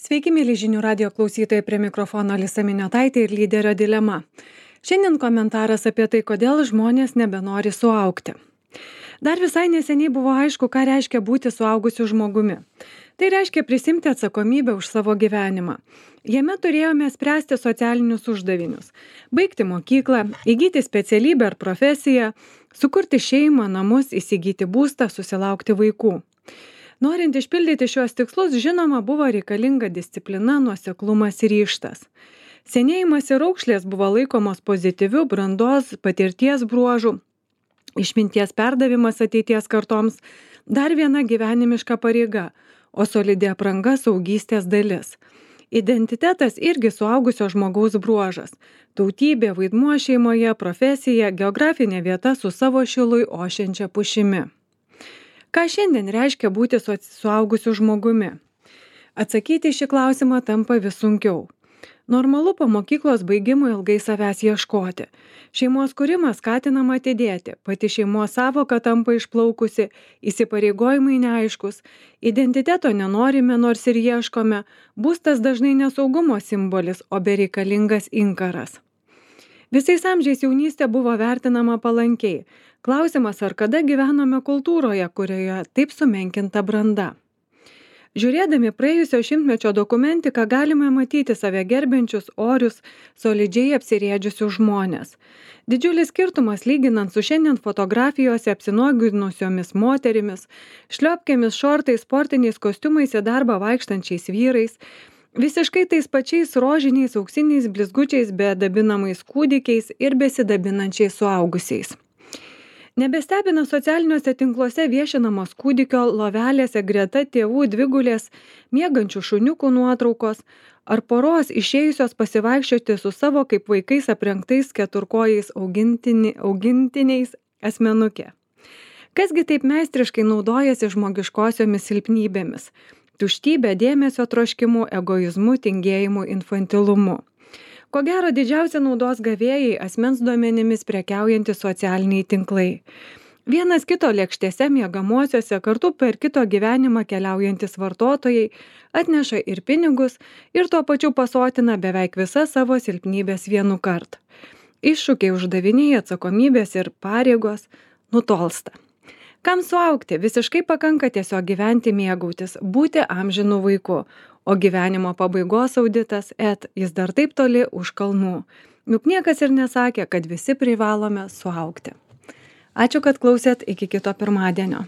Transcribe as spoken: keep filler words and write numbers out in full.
Sveiki, mėly žinių radio klausytojai, prie mikrofono Alisa Miniotaitė ir lyderio dilema. Šiandien komentaras apie tai, kodėl žmonės nebenori suaugti. Dar visai neseniai buvo aišku, ką reiškia būti suaugusiu žmogumi. Tai reiškia prisimti atsakomybę už savo gyvenimą. Jame turėjome spręsti socialinius uždavinius, baigti mokyklą, įgyti specialybę ar profesiją, sukurti šeimą, namus, įsigyti būstą, susilaukti vaikų. Norint išpildyti šiuos tikslus, žinoma, buvo reikalinga disciplina, nuoseklumas ir ryžtas. Senėjimas ir raukšlės buvo laikomos pozityvių brandos patirties bruožų, išminties perdavimas ateities kartoms, dar viena gyvenimiška pareiga, o solidi apranga saugystės dalis. Identitetas irgi suaugusio žmogaus bruožas. Tautybė, vaidmuo šeimoje, profesija, geografinė vieta su savo šilui ošiančia pušimi. Ką šiandien reiškia būti suaugusiu žmogumi? Atsakyti šį klausimą tampa vis sunkiau. Normalu po mokyklos baigimo ilgai savęs ieškoti. Šeimos kūrimas skatinama atidėti, pati šeimos savoka tampa išplaukusi, įsipareigojimai neaiškus, identiteto nenorime, nors ir ieškome, būstas dažnai nesaugumo simbolis, o bereikalingas inkaras. Visais amžiais jaunystė buvo vertinama palankiai. Klausimas, ar kada gyvenome kultūroje, kurioje taip sumenkinta branda. Žiūrėdami praėjusio šimtmečio dokumentiką galime matyti save gerbiančius, orius, solidžiai apsirėdžiusius žmonės. Didžiulis skirtumas lyginant su šiandien fotografijose apsinuoginusiomis moterimis, šliopkėmis, šortais, sportiniais kostiumais į darbą vaikštančiais vyrais, visiškai tais pačiais rožiniais, auksiniais blizgučiais, bedabinamais kūdikiais ir besidabinančiais suaugusiais. Nebestebina socialiniuose tinkluose viešinamos kūdikio lovelėse greta tėvų dvigulės, miegančių šuniukų nuotraukos ar poros išėjusios pasivaikščioti su savo kaip vaikais aprengtais keturkojais augintini, augintiniais asmenukė. Kasgi taip meistriškai naudojasi žmogiškosiomis silpnybėmis? Tuštybė, dėmesio troškimu, egoizmu, tingėjimu, infantilumu. Ko gero didžiausia naudos gavėjai asmens duomenimis prekiaujantys socialiniai tinklai. Vienas kito lėkštėse miegamuosiuose kartu per kito gyvenimą keliaujantis vartotojai atneša ir pinigus ir tuo pačiu pasotina beveik visas savo silpnybės vienu kartu. Iššūkiai, uždaviniai, atsakomybės ir pareigos nutolsta. Kam suaugti? Visiškai pakanka tiesiog gyventi, mėgautis, būti amžinu vaiku. O gyvenimo pabaigos auditas, et, jis dar taip toli už kalnų. Juk niekas ir nesakė, kad visi privalome suaugti. Ačiū, kad klausėt, iki kito pirmadienio.